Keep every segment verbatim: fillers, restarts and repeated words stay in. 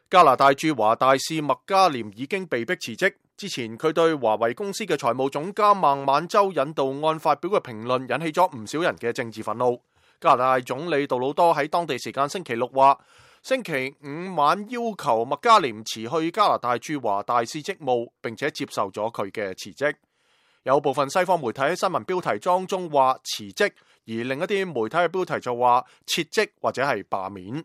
加拿大駐華大使麥加廉已經被迫辭職。之前佢對華為公司嘅財務總監孟晚舟引渡案發表嘅評論引起咗唔少人嘅政治憤怒。加拿大總理杜魯多喺當地時間星期六話，星期五晚要求麥加廉辭去加拿大駐華大使職務，並且接受咗佢嘅辭職。有部分西方媒體喺新聞標題當中話辭職，而另一啲媒體嘅標題就話撤職或者係罷免。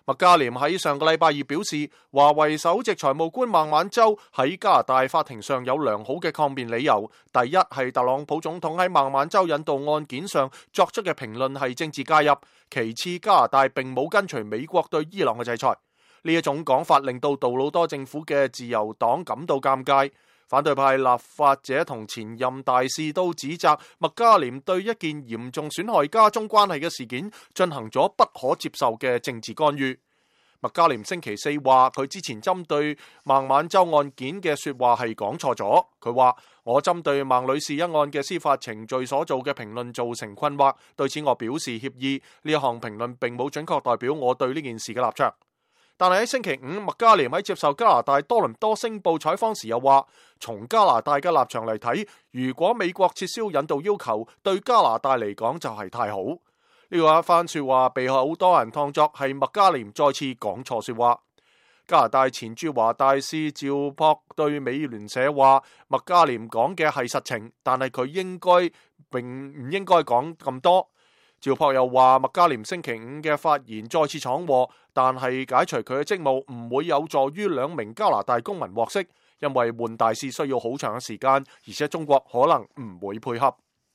麥加廉喺上個禮拜二表示，華為首席財務官孟晚舟喺加拿大法庭上有良好嘅抗辯理由。第一係特朗普總統喺孟晚舟引渡案件上作出嘅評論係政治介入，其次加拿大並冇跟隨美國對伊朗嘅制裁。呢一種講法令到杜魯多政府嘅自由黨感到尷尬。反對派立法者同前任大使都指責麥加廉對一件嚴重損害加中關係嘅事件進行咗不可接受嘅政治干預。麥加廉星期四話，佢之前針對孟晚舟案件嘅說話係講錯咗。佢話，我針對孟女士一案嘅司法程序所做嘅評論造成困惑，對此我表示歉意。呢一項評論並冇準確代表我對呢件事嘅立場。但係喺星期五，麥加廉喺接受加拿大多倫多星報採訪時又話，從加拿大嘅立場嚟睇，如果美國撤銷引渡要求，對加拿大嚟講就係太好。呢個一番說話被好多人當作係麥加廉再次講錯說話。加拿大前駐華大使趙樸對美聯社話，麥加廉講嘅係實情，但係佢應該並唔應該講咁多。趙樸又話，麥加廉星期五嘅發言再次闖禍，但係解除佢嘅職務唔會有助於兩名加拿大公民獲釋，因為換大使需要好長嘅時間，而且中國可能唔會配合。